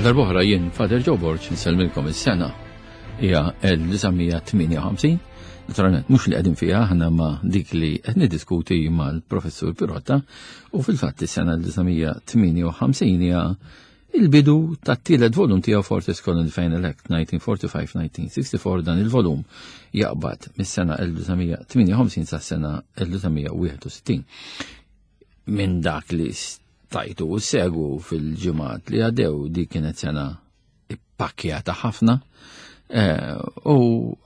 Għal darb'oħra jien Father Joe Borg nsellmilkom is-sena hija 1958. Naturalment mhux li qegħdin fiha aħna ma dik li qed niddiskuti mal-Professur Pirotta u fil-fatt is-sena 1958 hija il-bidu tat-tielet volum tiegħu Fortis Colony Final Act 1945-1964 dan il-volum jaqbad mis-sena 1958 sas-sena 1961. Minn dak li stajtu u segu fil-ġimgħat li għaddew di kienet sena ippakkjata ħafna eh, u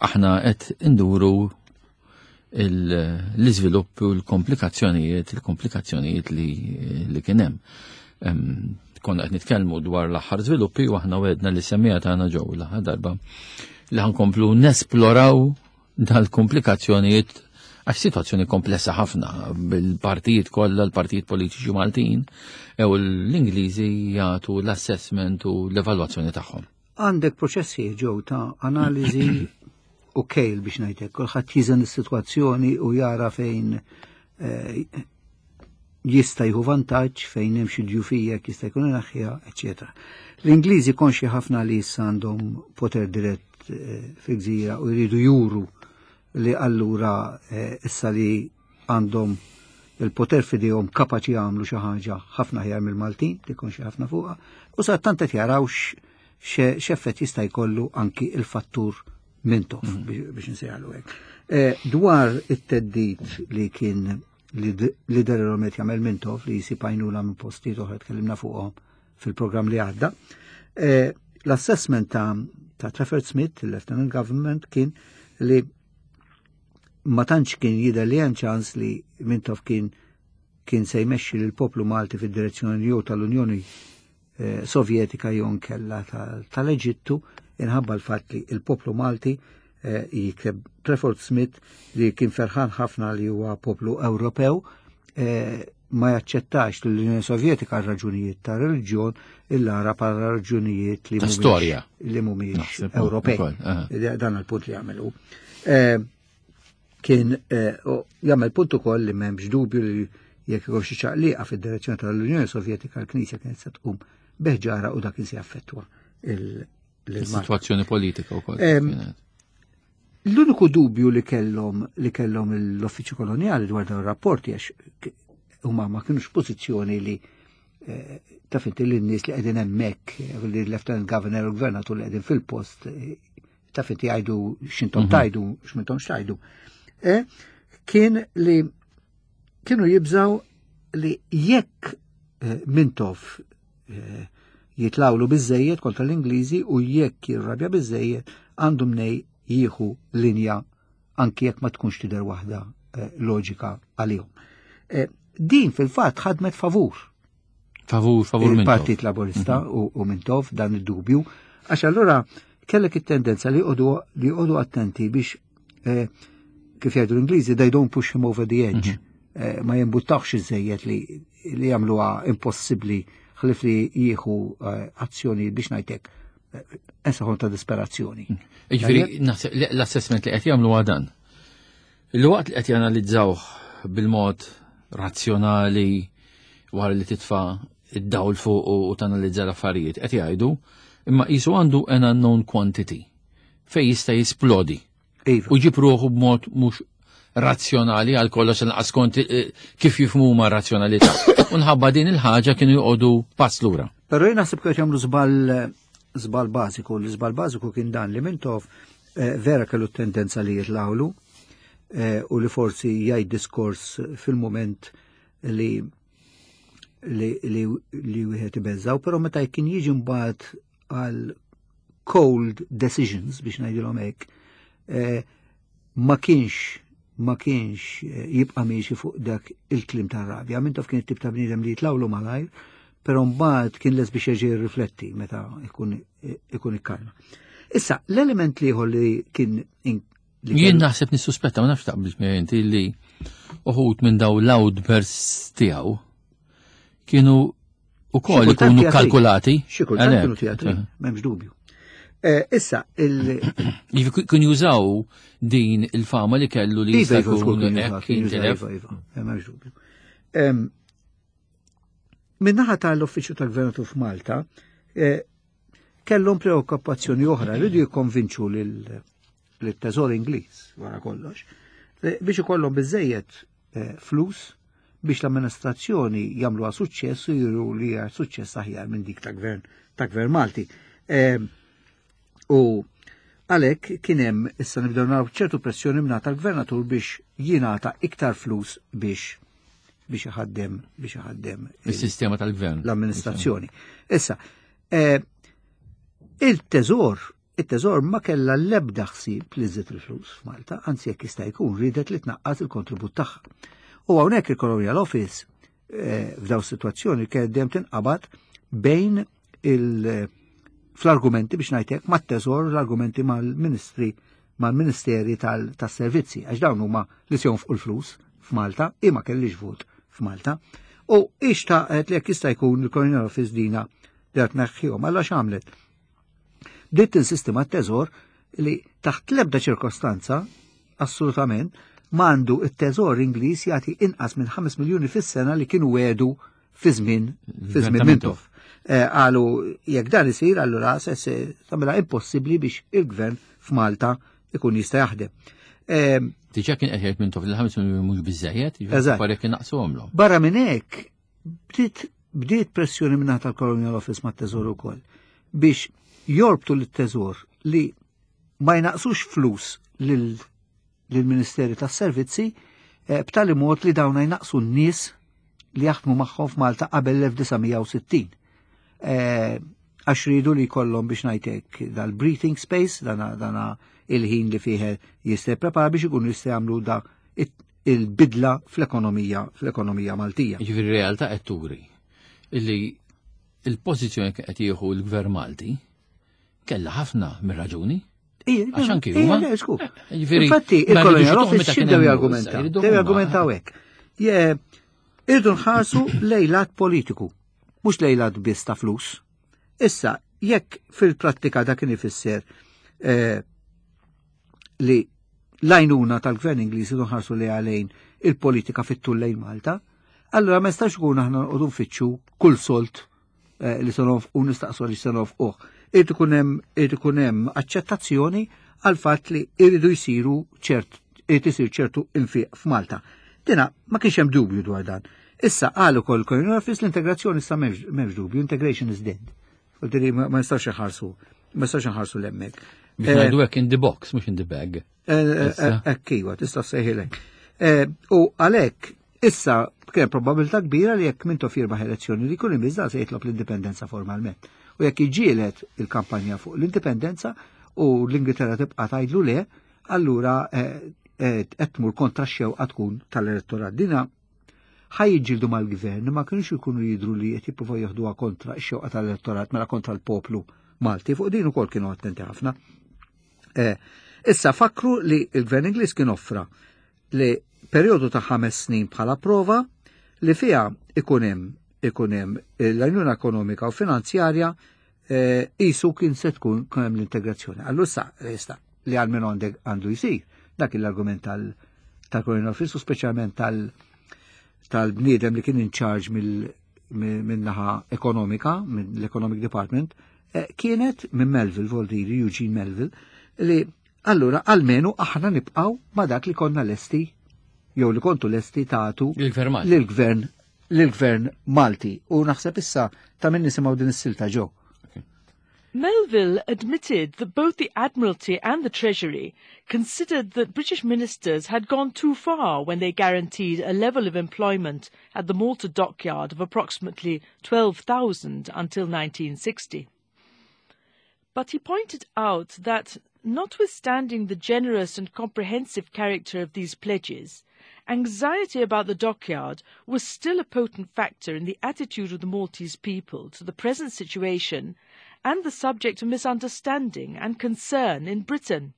aħna qed induru l-iżviluppi u l-komplikazzjonijiet, il-komplikazzjonijiet li, li kien hemm. Konna qed nitkellmu dwar l-aħħar żviluppi u aħna wedna li semmija tagħna ġew l-aħħar darba li ħankomplu nesploraw dal-komplikazzjonijiet għax situazzjoni komplessa ħafna bil-partijiet kollha l-partijiet politiċi Maltin ew l-Ingliżi jagħtu l-assessment u l-evalwazzjoni tagħhom. Għandek proċessi ġew ta' analiżi u kejl biex ngħidlek, kulħadd jiżen is-sitwazzjoni u jara fejn eh, jista' jieħu vantaġġ fejn hemm xi djufija jista' jkun inaħħiha, eċetera. L-Ingliżi konxi ħafna li issa għandhom poter dirett eh, fil-gżira u jridu juru li allura eh, issa li għandhom il-poter fidejhom kapaċi jagħmlu xi ħaġa ħafna ħjar mill-Maltin, li konxi ħafna fuqha, u sa tant qed jaraw x'effett jista' jkollu anki il-fattur Mintoff mhm. biex nsejħalu hekk. Eh, dwar it-teddit li kien li derilhom qed jagħmel Mintoff li jsib għajnuna minn postijiet oħra tkellimna fuqhom fil-programm li għadda. Eh, l-assessment ta', ta Trafford Smith, il-Lieutenant Government, kien li ma tantx kien jidher li hemm ċans li Mintoff kien kien se jmexxi lill poplu Malti fid-direzzjoni jew tal-Unjoni eh, Sovjetika jew nkella tal-Eġittu inħabba l-fatt li il-poplu Malti eh, jikteb Trefford Smith li kien ferħan ħafna li huwa poplu Ewropew eh, ma jaċċettax l-Unjoni Sovjetika għal raġunijiet ta' reliġjon illa ara bħala raġunijiet li storja li mhumiex Ewropej. Dan il-punt li jagħmelu. Kien eh, jagħmel punt ukoll li m'hemmx dubju li jekk ikun xi ċaqliqa fid-direzzjoni tal-Unjoni Sovjetika l-Knisja kienet se tqum beħġara u dak se jaffettwa il-situazzjoni politika wkoll. L-uniku dubju li kellhom li kellhom l-Uffiċċju Kolonjali dwar dawn ir-rapporti għax huma ma kienux pożizzjoni li eh, taf inti l-nies li qegħdin hemmhekk, li l-Lieutenant Governor u l-Gvernatur li qegħdin fil-post eh, taf inti jgħidu x'intom mhm. tajdu, x'mintom x'tajdu. E, kien li kienu jibżaw li jekk eh, Mintoff eh, jitlawlu biżejjed kontra l-Ingliżi u jekk jirrabja biżejjed għandu mnej jieħu linja anki jekk ma tkunx tidher waħda eh, loġika għalihom. Din fil-fatt ħadmet favur Favur, favur Il-Partit Laburista mhm. u Mintoff dan id-dubju, għax allura kellek it-tendenza li li jqogħdu attenti biex eh, kif jgħidu l-Ingliżi they don't push him over the edge. Mhm. Eh, ma jimbuttawx iżejjed li li jagħmluha impossibbli ħlif li jieħu eh, azzjoni biex ngħidlek ensaħon ta' disperazzjoni. Mhm. Jiġifieri l-assessment li qed jagħmlu għadan. Il-waqt li qed janalizzawh bil-mod razzjonali wara li titfa' id-dawl fuq u tanalizza l-affarijiet qed jgħidu imma qisu għandu an unknown quantity fej jista' jisplodi. Iva. U ġib ruħu b'mod mhux razzjonali għal kollox inqas kont eh, kif jifhmu ma' razzjonalità. U nħabba din il-ħaġa kienu joqogħdu pass lura. Però jien naħseb kienu jagħmlu żball żball bażiku, l-żball bażiku kien dan li Mintoff eh, vera kellu tendenza li jitlawlu eh, u li forsi jgħid diskors fil-moment li li li, li wieħed ibeżżaw, però meta kien jiġi mbagħad għal cold decisions biex ngħidilhom hekk, eh, ma kienx ma kienx eh, jibqa' miexi fuq dak il-klim tar-rabja. Minn taf kien it-tip ta' bniedem li jitlawlu malajr, però mbagħad kien les biex jerġa' jirrifletti meta ikun ikun ikkalma. Issa, l-element liħor li kien Jien naħseb nissuspetta ma nafx taqbilx miegħi inti li uħud minn daw l-outbursts tiegħu kienu ukoll ikunu kalkulati. Xi kultant kienu teatri, m'hemmx dubju. Eh, issa, il. Jiġifieri kien jużaw din il-fama li kellu li jista' iva, jkun hekk jintilef. Iva, iva, m'hemmx dubju. Min-naħa tal-Uffiċċju tal-Gvernatur f'Malta, eh, Kellhom preokkupazzjoni oħra, rridu jikkonvinċu lil-teżor Ingliż wara kollox biex ikollhom biżejjed eh, flus biex l-amministrazzjoni jagħmluha suċċess u juru li hija suċċess aħjar minn dik ta' gvern ta' gvern Malti. Eh, u għalhekk kien hemm issa nibdew naraw ċertu pressjoni mingħata l-gvernatur biex jingħata iktar flus biex biex iħaddem biex iħaddem il-sistema tal-gvern l-amministrazzjoni. Issa, eh, il-teżor il-teżor ma kella l-ebda ħsieb li żżid il-flus f'Malta, anzi jekk jista' jkun ridet li tnaqqas il-kontribut tagħha. U hawnhekk il-Colonial Office eh, f'daw situazzjoni kien dejjem tinqabad bejn il- fl-argumenti biex ngħidlek mat-teżor l-argumenti mal-ministri mal-ministeri tas-servizzi għax dawn huma li se jonfqu l-flus f'Malta imma kellix vot f'Malta. U ixtaqet li jekk jista' jkun il-Colonial Office dina li qed tneħħihom alla x'għamlet. Bdiet tinsisti mat-teżor li taħt l-ebda ċirkostanza assolutament m'għandu it-teżor Ingliż jagħti inqas minn 5 miljuni fis-sena li kienu għedu fi żmien fi żmien Mintoff. Eh, qalu jekk dan isir allura se se tagħmilha impossibbli biex il-gvern f'Malta ikun jista' jaħdem. Eh, Diġà kien qed jgħid Mintoff li 5 miljuni mhux biżejjed, jiġifieri kien naqsuhomlhom. Barra minn hekk bdiet bdiet pressjoni minn tal-Colonial Office mat-Teżor ukoll biex jorbtu lit-Teżor li ma jnaqsux flus lil lill-Ministeri tas-Servizzi eh, b'tali mod li dawn jnaqsu n-nies li jaħdmu magħhom f'Malta qabel l-1960. Eh, għax ridu li jkollhom biex ngħidlek dal-breathing space, dana, dana il-ħin li fih jista' jipprepara biex ikunu jista' jagħmlu da il-bidla fl-ekonomija fl-ekonomija Maltija. Jiġifieri realtà qed turi illi il-pożizzjoni qed jieħu l-Gvern Malti kellha ħafna mir-raġuni. Għax anki huma. Infatti, il-Colonial Office x'ibdew jargumentaw? Bdew jargumentaw hekk. Irdu nħarsu lejlat politiku, mhux lejlat biss ta' flus. Issa, jekk fil-prattika dak kien ifisser eh, li l-għajnuna tal-gvern Ingliż irdu nħarsu li għalejn il-politika fit-tul lejn Malta, allura ma jistax ikun aħna nqogħdu nfittxu kull solt Eh, li se u nistaqsu li se nofquh. Irid ikun hemm irid ikun hemm aċċettazzjoni għal fatt li jridu jsiru ċert irid isir ċertu infiq f'Malta. Dina ma kienx hemm dubju dwar dan. Issa qal ukoll Colin Office l-integrazzjoni issa m'hemmx dubju, integration is dead. Vuol ma nistax inħarsu, ma nistax inħarsu l-hemmhekk. Biex ngħidu hekk in the box, mhux in the bag. Ekk iwa, tista' sejħilek. U għalhekk issa kien probabilità kbira li jekk Mintoff jirbaħ elezzjoni li jkun imiss se jitlob l-indipendenza formalment. U jekk iġielet il-kampanja fuq l-indipendenza u l-Ingilterra tibqa' tgħidlu le, allura qed tmur kontra x-xewqa tkun tal-elettorat. Dina ħa jiġġieldu mal-gvern ma kienux ikunu jidru li qed jippruvaw jeħduha kontra x-xewqa tal-elettorat mela kontra l-poplu Malti. Fuq din ukoll kienu attenti ħafna. Eh, issa fakru li il-gvern Ingliż kien offra li perjodu ta' ħames snin bħala prova li fiha ikun hemm ikun hemm l-għajnuna ekonomika u finanzjarja eh, isu kien se tkun hemm l-integrazzjoni. Allura issa issa li għal minn għandek għandu jsir dak l-argument tal tal-Colonial Office u speċjalment tal tal-bniedem li kien in charge mill-naħa ekonomika, mill-Economic Department, eh, kienet minn Melville, Voldiri, Eugene Melville, li allura almenu aħna nibqaw ma dak li konna lesti jew li kontu lesti tagħtu lill-gvern lill-gvern Malti. U naħseb issa ta' min nisimgħu din is-silta ġew. Melville admitted that both the Admiralty and the Treasury considered that British ministers had gone too far when they guaranteed a level of employment at the Malta dockyard of approximately 12,000 until 1960. But he pointed out that, notwithstanding the generous and comprehensive character of these pledges, anxiety about the dockyard was still a potent factor in the attitude of the Maltese people to the present situation and the subject of misunderstanding and concern in Britain.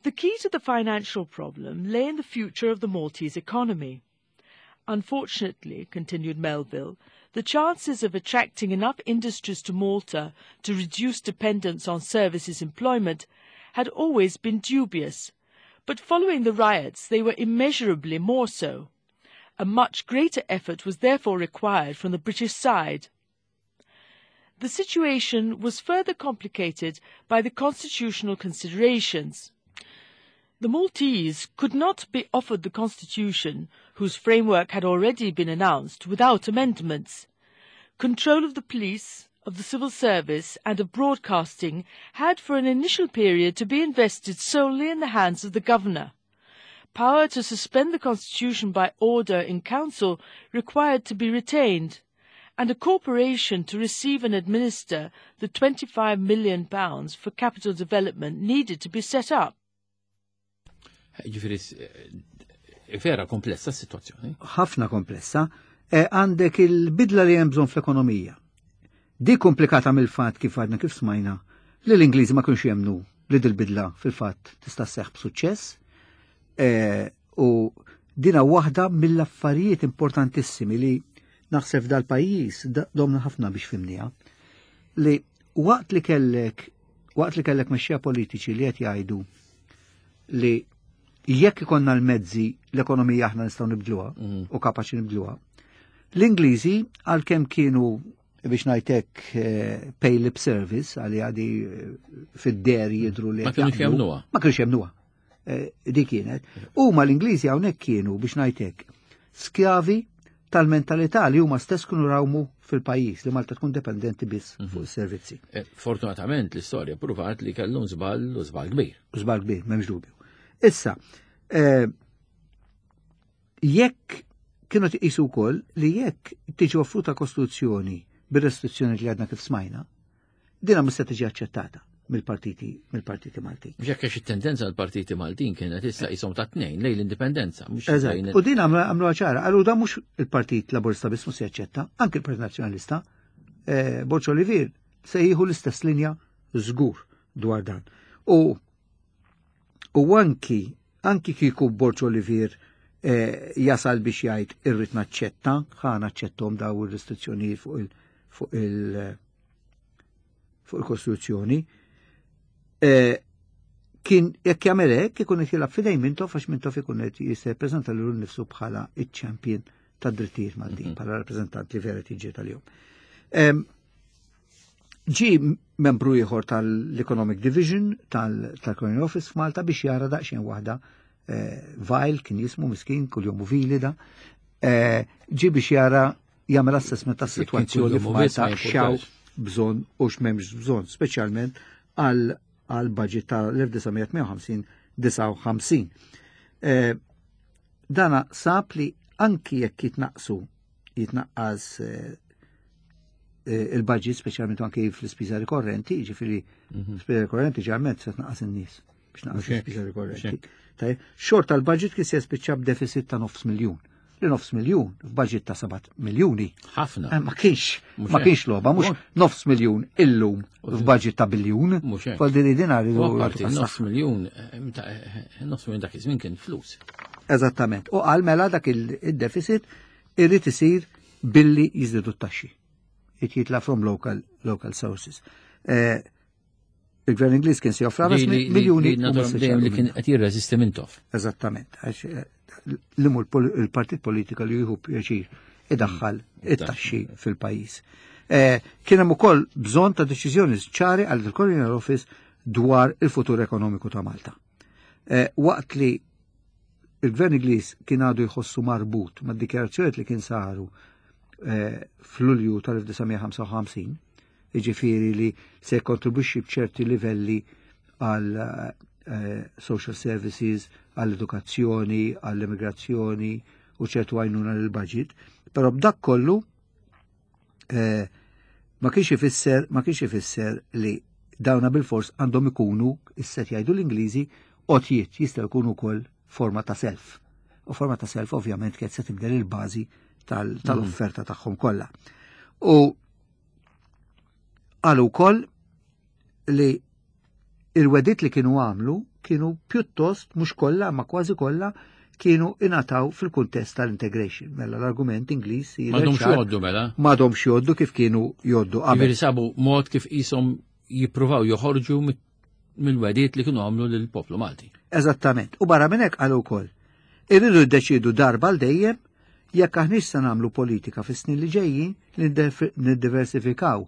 The key to the financial problem lay in the future of the Maltese economy. Unfortunately, continued Melville, the chances of attracting enough industries to Malta to reduce dependence on services employment had always been dubious, but following the riots they were immeasurably more so. A much greater effort was therefore required from the British side. The situation was further complicated by the constitutional considerations. The Maltese could not be offered the constitution, whose framework had already been announced, without amendments. Control of the police, of the civil service and of broadcasting had for an initial period to be invested solely in the hands of the governor. Power to suspend the constitution by order in council required to be retained, and a corporation to receive and administer the £25 million for capital development needed to be set up. Ġifieri, vera komplessa s-situazzjoni. Ħafna komplessa. E, għandek il-bidla li hemm bżonn fl-ekonomija. Di komplikata mill-fatt kif għadna kif smajna li l-Ingliżi ma kienx jemnu li dil-bidla fil-fatt tista' sseħħ b'suċċess. E, u dina waħda mill-affarijiet importantissimi li naħseb dal-pajjiż domna ħafna biex fimniha. Li waqt li kellek waqt li kellek mexxija politiċi li qed jgħidu li jekk ikonna l-mezzi l-ekonomija aħna nistgħu nibdluha u kapaċi nibdluha. L-Ingliżi għalkemm kienu biex ngħidlek pay lip service għalli għadi fid-der jidru li Ma kienux jemnuha. Ma kienux jemnuha. Di kienet. Huma l-Ingliżi hawnhekk kienu biex ngħidlek skjavi tal-mentalità li huma stess kienu rawmu fil-pajjiż li Malta tkun dependenti biss fuq is-servizzi. Fortunatament l-istorja pruvat li kellhom żball u żball kbir. Żball kbir, m'hemmx dubju. Issa, jekk kienu tqisu wkoll li jekk tiġi offruta kostituzzjoni bir-restrizzjoni li għadna kif smajna, dina mhux se tiġi aċċettata mill-partiti Maltin. Mhux hekk għax it-tendenza għall-partiti Maltin kienet issa qishom ta' tnejn lejn l-indipendenza, mhux lejn U din għamlu ċara, għallu da mhux il-Partit Laburista biss mhux se jaċċetta, anke il-Partit Nazzjonalista, Borg Olivier se jieħu l-istess linja żgur dwar dan. U anki kieku Borg Olivier jasal biex jgħid irrid naċċetta, ħa naċċettom daw ir-restrizzjonijiet fuq il-Kostituzzjoni, kien jekk jagħmel hekk ikun qed jilgħab f'idejn Mintoff għax Mintoff ikun qed jippreżenta lilu nnifsu bħala iċ-champion tad-drittijiet Maltin, bħala rappreżentant li vera tiġi tal-jum. Ġi membru ieħor tal-Economic Division tal-Colonial Office f'Malta biex jara daqsxejn waħda, Vile kien jismu miskin, kuljum Vili da, ġi biex jara jagħmel assessment tas-sitwazzjoni Jekk kuljum f'Malta ma jimpurtax. x'hawn bżonn u x'm'hemmx bżonn, speċjalment għal budget tal-1958-59. Dana sab li anki jekk jitnaqqas il-budget, speċjalment anki fl-ispiża rikorrenti, jiġifieri spiża rikorrenti ġeneralment se tnaqqas in-nies biex naqqas l-ispiża rikorrenti. Mhux hekk. Tajjeb, xorta l-budget kien se jispiċċa b'deficit ta' nofs miljun. Li nofs miljun f'budget ta' 7 miljuni. Ħafna. Ma kienx, Mhux ma hekk. kienx logħba, mhux Mhux. nofs miljun illum Mhux f'budget ta' biljun. Mhux hekk. Fol din id-dinar U idu apparti jagħtu nofs tas-saħħa. miljun nofs miljun dak iż-żmien kien flus. Eżattament. U qal mela dak il-deficit irid isir billi jiżdiedu t-taxxi. It jitla from local sources. Il-gvern Ingliż kien se joffra miljuni u mhux se Dejjem li jagħmlu kien minna. qed jirreżisti Mintoff. Eżattament. Għax li mhu il-partit politika li jieħu pjaċir idaħħal it-taxxi fil-pajjiż. Kien hemm ukoll bżonn ta' deċiżjoni ċari għal il-Colonial Office dwar il-futur ekonomiku ta' Malta. Waqt li il-gvern Ingliż kien għadu jħossu marbut mad-dikjarazzjonijiet li kien saru f'Lulju tal-1955, jiġifieri li se jkontribwixxi b'ċerti livelli għal social services, għall-edukazzjoni, għall-immigrazzjoni u ċertu għajnuna lill-budget, però b'dak kollu ma kienx ifisser li dawna bil-fors għandhom ikunu, is-set jgħidu l-Ingliżi, għotjiet, jistgħu jkunu wkoll forma ta' self. U forma ta' self ovvjament kienet se tibdel il-bażi tal-offerta tagħhom kollha. U qalu wkoll li il-wedit li kienu għamlu kienu pjuttost, mhux kollha, ma kważi kollha, kienu ingħataw fil-kuntest tal-integration. Mela l-argument Ingliż jidher M'għadhomx ċar. jgħoddu mela? M'għadhomx jgħoddu kif kienu jgħoddu qabel. Jiġifieri sabu mod kif qishom jippruvaw joħorġu mill-wedit li kienu għamlu lill-poplu Malti. Eżattament. U barra minn hekk qalu wkoll. Irridu jiddeċiedu darba għal dejjem jekk aħniex se nagħmlu politika fis-snin li ġejjin li niddiversifikaw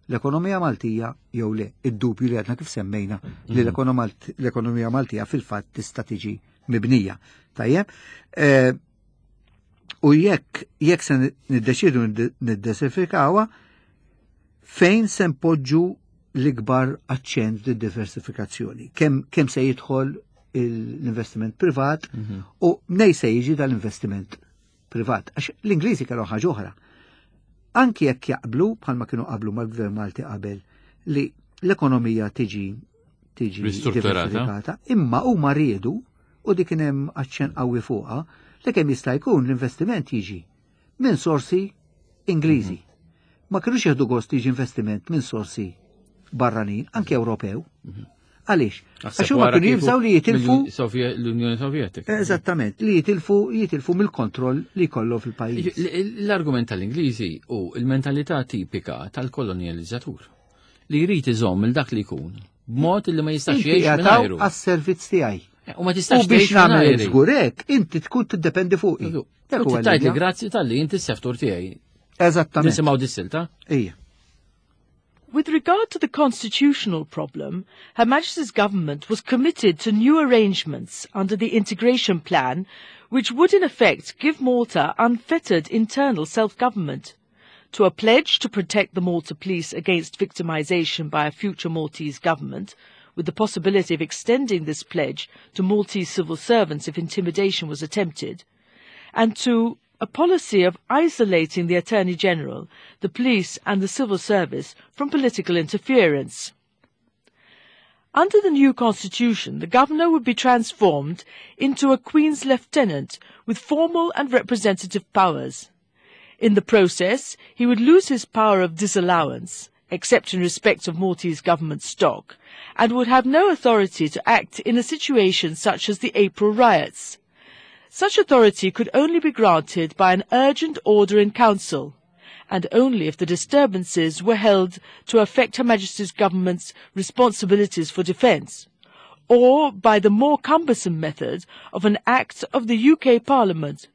l-ekonomija Maltija jew le. Id-dubju li għadna kif semmejna li l-ekonomija Maltija fil-fatt tista' tiġi mibnija. Tajjeb? Eh, u jekk jekk se niddeċidu niddeserfikawha, fejn se npoġġu l-ikbar aċċent fid-diversifikazzjoni? Kemm kem se jidħol l-investiment privat u nej se jiġi dal-investiment privat. Għax l-Ingliżi kellhom ħaġa oħra. Anki jekk jaqblu bħalma kienu qablu mal-Gvern Malti qabel li l-ekonomija tiġi tiġi Ristrutturata. diversifikata, imma huma riedu u dik kien hemm aċċent qawwi fuqha li kemm jista' jkun l-investiment jiġi minn sorsi Ingliżi. Ma kinux jieħdu gost jiġi investiment minn sorsi barranin, anke Ewropew. Għaliex? Għax huma Wara kienu kieku jibżgħu li jitilfu L-Unjoni Sovjetika. Eżattament, li jitilfu jitilfu mill-kontroll li jkollu fil-pajjiż. L-argument tal-Ingliżi u il-mentalità tipika tal-kolonializzatur li jrid iżomm il dak li jkun b'mod li ma jistax Inti jgħix jagħtaw mingħajru. għas-servizz tiegħi. U ma U tistax biex tgħix nagħmel mingħajri. żgur hekk, inti tkun tiddependi fuqi. Dak U huwa tgħid li l-idea. grazzi tal-li inti s-seftur tiegħi. Eżattament. Nisimgħu dis-silta. Ija. With regard to the constitutional problem, Her Majesty's government was committed to new arrangements under the integration plan, which would in effect give Malta unfettered internal self-government, to a pledge to protect the Malta police against victimization by a future Maltese government, with the possibility of extending this pledge to Maltese civil servants if intimidation was attempted, and to a policy of isolating the Attorney General, the police and the civil service from political interference. Under the new constitution, the governor would be transformed into a Queen's Lieutenant with formal and representative powers. In the process, he would lose his power of disallowance, except in respect of Maltese government stock, and would have no authority to act in a situation such as the April riots. Such authority could only be granted by an urgent order in council, and only if the disturbances were held to affect Her Majesty's government's responsibilities for defence, or by the more cumbersome method of an act of the UK Parliament.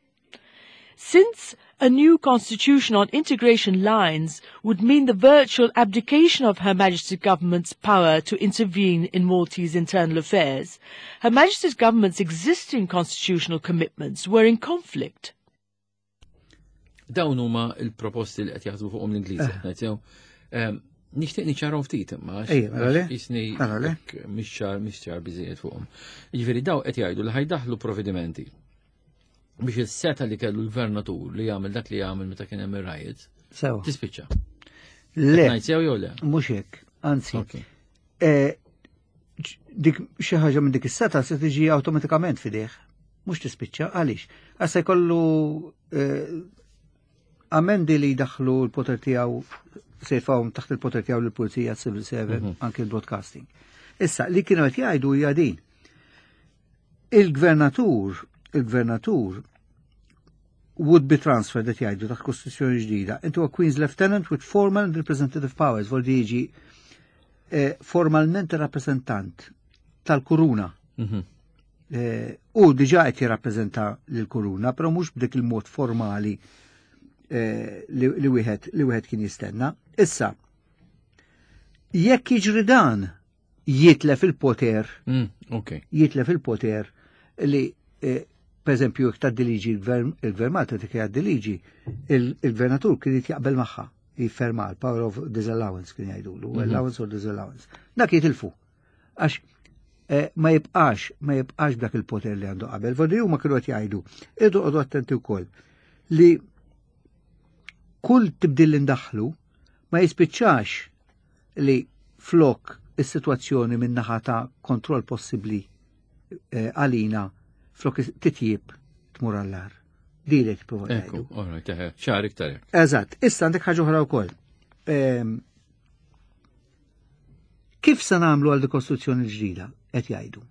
Since a new constitution on integration lines would mean the virtual abdication of Her Majesty's government's power to intervene in Maltese internal affairs, Her Majesty's government's existing constitutional commitments were in conflict. Dawn huma il-proposti li qed jaħsbu fuqhom l-Ingliżi, Eh. qed ngħid sew. Nixtieq niċċarhom ftit imma għax- Ejja, mela le? għax jisni Mela le? hekk mhix ċar mhix ċar biżejjed fuqhom. Jiġifieri daw qed jgħidu li ħajdaħlu provvedimenti biex is-seta li kellu l-gvernatur li jagħmel dak li jagħmel meta kien hemm ir-riots Sewa. tispiċċa. Le, Ngħid sew jew le? mhux hekk, anzi. Ok. Eh, Dik xi ħaġa minn dik is-seta se tiġi awtomatikament fideh. Mhux tispiċċa għaliex. Għax se jkollu eh, amendi li jdaħħlu l-poter tiegħu se jfawhom taħt il-poter tiegħu lill-pulizija civil servant anke l-broadcasting. Issa li kienu qed jgħidu hija din. Il-gvernatur, il-gvernatur would be transferred qed jgħidu taħt kostituzzjoni ġdida into a Queen's Lieutenant with formal and representative powers, vol di jiġi eh, formalment rappresentant tal-kuruna. Eh, u diġa qed jirrappreżenta lill-kuruna, però mhux b'dik il-mod formali eh, li li wieħed li wieħed kien jistenna. Issa, jekk jiġri dan jitlef il-poter Ok. jitlef il-poter li eh, per eżempju jekk tgħaddi liġi il-gvern il-gvern Malta dik jgħaddi liġi il-gvernatur kien irid jaqbel magħha jifferma l-power of disallowance kien jgħidulu, allowance or disallowance. Dak jitilfu. Għax eh, ma jibqax, ma jibqax b'dak il-poter li għandu qabel. Vodi huma kienu qed jgħidu, irdu qogħdu attenti wkoll li kull tibdil li ndaħlu ma jispiċċax li flok is-sitwazzjoni minn naħa ta' kontroll possibbli eh, għalina flok titjib tmur għallar. Di li tipprova Ekku, jgħidu. all right, eħe, ċar iktar hekk. Eżatt, issa għandek ħaġa oħra wkoll. Ehm, Kif se nagħmlu għal dikostruzzjoni ġdida qed jgħidu?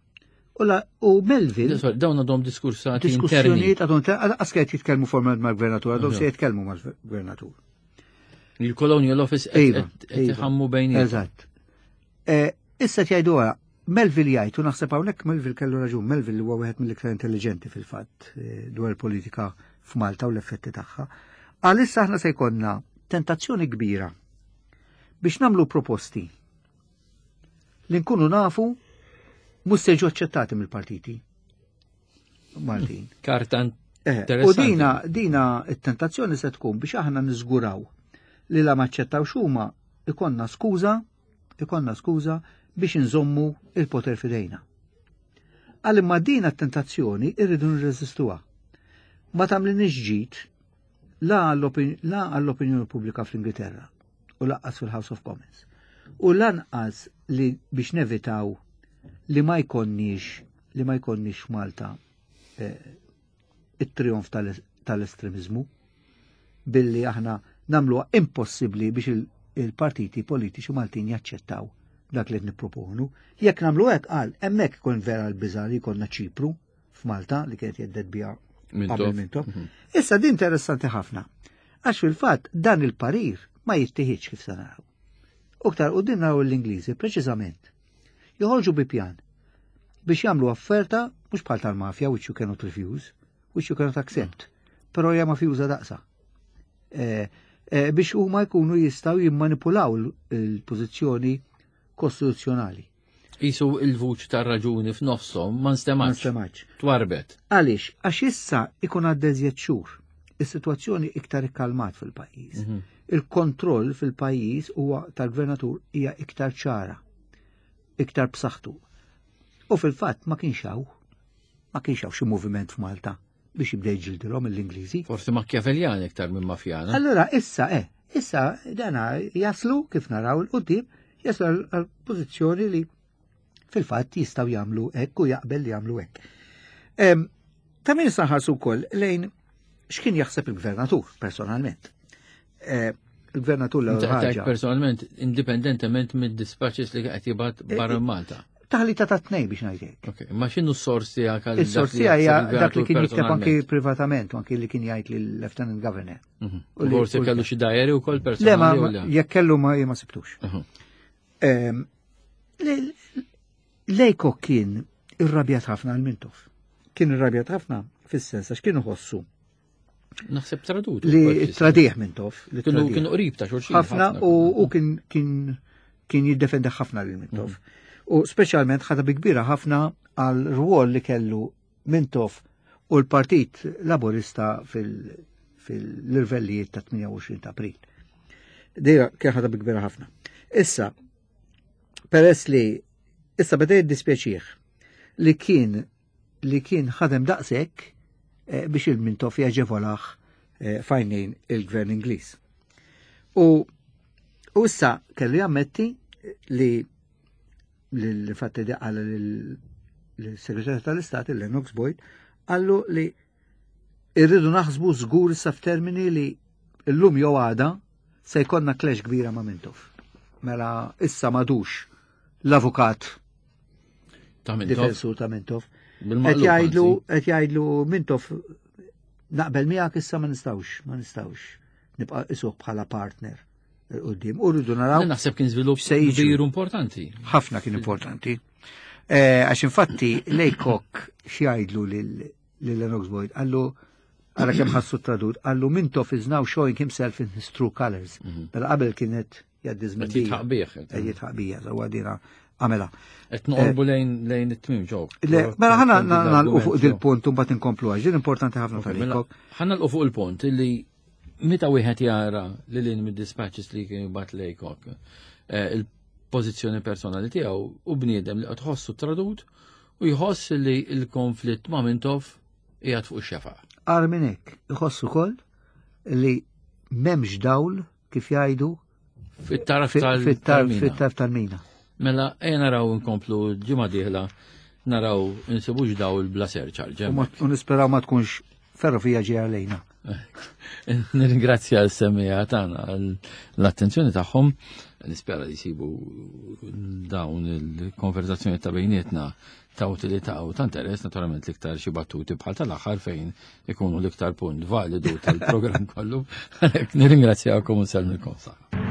U la- U Melville Sorry, Dawn għadhom diskursati interni. diskussjonijiet għadhom għas qed jitkellmu formalment mal-gvernatur, għadhom se jitkellmu mal-gvernatur. Il-Colonial Office Iva, qed qed iva. iħammu bejniethom. Eżatt. Eh, Issa jgħidu għara, Melville jgħid, u naħseb hawnhekk Melville kellu raġun, Melville huwa wieħed mill-iktar intelligenti fil-fatt eh, dwar il-politika f'Malta u l-effetti tagħha. Għalissa aħna se jkollna tentazzjoni kbira Biex nagħmlu proposti li nkunu nafu mhux se jiġu aċċettati mill-partiti Maltin. Karta eh, U dina, dina it-tentazzjoni se tkun biex aħna niżguraw li la maċċettawx huma ikonna skuża, ikonna skuża biex inżommu il-poter fidejna. Għal imma dina t-tentazzjoni irridu nirreżistuha. Ma tagħmlinix ġid la għall-opinjoni pubblika fl-Ingilterra u laqqas fil-House of Commons. U lanqas li biex nevitaw li ma jkonniex li ma jkonniex Malta eh, it-trionf tal-estremizmu billi aħna namluha impossibbli biex il-partiti politiċi Maltin jaċċettaw dak li nipproponu. Jekk nagħmlu hekk qal hemmhekk ikun vera l-biża' li jkollna Ċipru f'Malta li kienet jeddet biha qabel Mintoff. Mhm. Issa din interessanti ħafna. Għax fil-fatt dan il-parir ma jittieħidx kif se naraw. Uktar u din naraw l-Ingliżi preċiżament. Joħorġu bi pjan biex jagħmlu offerta mhux bħal tal-mafja which you cannot refuse, which you cannot accept, però hija mafjuża daqsa. Eh, eh, biex huma jkunu jistgħu jimmanipulaw il-pożizzjoni kostituzzjonali. Isu il-vuċ tar raġuni f'nofshom ma nstemax. Ma nstemax. Twarbet. Għaliex, għax issa ikun għaddeżjed xhur. Is-sitwazzjoni iktar ikkalmat fil-pajjiż. Mhm. Il-kontroll fil-pajjiż huwa tal-gvernatur hija iktar ċara, iktar b'saħħtu. U fil-fatt ma kienx hawn, ma kienx hawn xi moviment f'Malta biex jibda jġildilhom l-Ingliżi. Forsi Machiavellian iktar minn mafjana. Allura issa eh, issa dana jaslu kif naraw il-qudiem, jaslu għal pożizzjoni li fil-fatt jistgħu jagħmlu hekk u jaqbel li jagħmlu hekk. Ta' min saħarsu wkoll lejn x'kien jaħseb il-gvernatur personalment. Eh, il-gvernatur l Personalment, indipendentement mid-dispatches li qed jibgħat eh, barra eh, Malta. Taħlita ta' tnej biex ngħidlek. Ok, ma x'inhu s-sors tiegħek għal Is-sors tiegħi hija dak li kien jikteb anki privatament u anki li kien jgħid lill-Lieutenant Governor. Mhm. U forsi kellu xi diary wkoll personali. Le, ma jekk kellu ma ma sibtux. Mhm. Ehm, Lejko kien irrabjat ħafna għal Mintoff. Kien irrabjat ħafna fis-sens għax kienu ħossu Naħseb tradut. Li tradiħ Mintoff. Kienu kienu qrib ta' xulxin. Ħafna u kien kien kien jiddefendi ħafna lil Mintoff. Mm. U speċjalment ħadha bi kbira ħafna għal rwol li kellu Mintoff u l-Partit Laburista fil-irvellijiet ta' 28 ta' April. Dejra kien ħadha bi kbira ħafna. Issa, peress li issa beda jiddispjaċih li kien li kien ħadem daqshekk eh, biex il-Mintoff jaġevolaħ eh, fajnejn il-gvern Ingliż. U u issa kellu jammetti li l-fatti di għal l-Segretarju tal-Istat, il-Lennox Boyd, għallu li irridu naħsbu żgur issa f'termini li llum jew għada se jkollna clash kbira ma' Mintoff. Mela issa madux l-avukat ta' Mintoff. Difensur ta' Mintoff. Qed jgħidlu qed jgħidlu Mintoff naqbel miegħek issa ma nistgħux, ma nistgħux nibqa' isuq bħala partner il-qudiem. U rridu naraw. Naħseb kien żvilupp kbir importanti. Ħafna kien importanti. Eh, għax infatti Lejkok x'jgħidlu lil Lennox Boyd, għallu għara kemm ħassu tradut, għallu Mintoff is now showing himself in his true colors. Mhm. Mela qabel kienet jgħaddi żmien. Qed jitħaq Qed jitħaq bija, sewwa dina għamela. Qed noqorbu eh, lejn lejn it-tmiem ġew. Le, mela ħana nagħlqu fuq dil-punt u mbagħad inkomplu għax din importanti ħafna mela, tal Ħa nagħlqu fuq il-punt illi meta wieħed jara li lin mid-dispatches li kien jibgħat Laycock eh, il-pożizzjoni personali tiegħu u bniedem li qed ħossu tradut u jħoss li l-konflitt ma' Mintoff qiegħed fuq ix-xefaq. Agħar minn hekk, iħoss ukoll li m'hemmx dawl kif jgħidu fit-tarf tal-mina. Tal-mina. Mela, ejja naraw inkomplu ġimgħa dieħla naraw insibux dawl bla surcharge. U nisperaw ma tkunx ferrovija ġejja lejna. Nirringrazzja l-semmija tagħna l-attenzjoni tagħhom. Nispera li jsibu dawn il-konverzazzjoni ta' bejnietna ta' utilità u ta' interess, naturalment l-iktar xi battuti bħal tal-aħħar fejn ikunu l-iktar punt validu tal-programm kollu. Għalhekk nirringrazzjakom u nsellmilkom saħħa.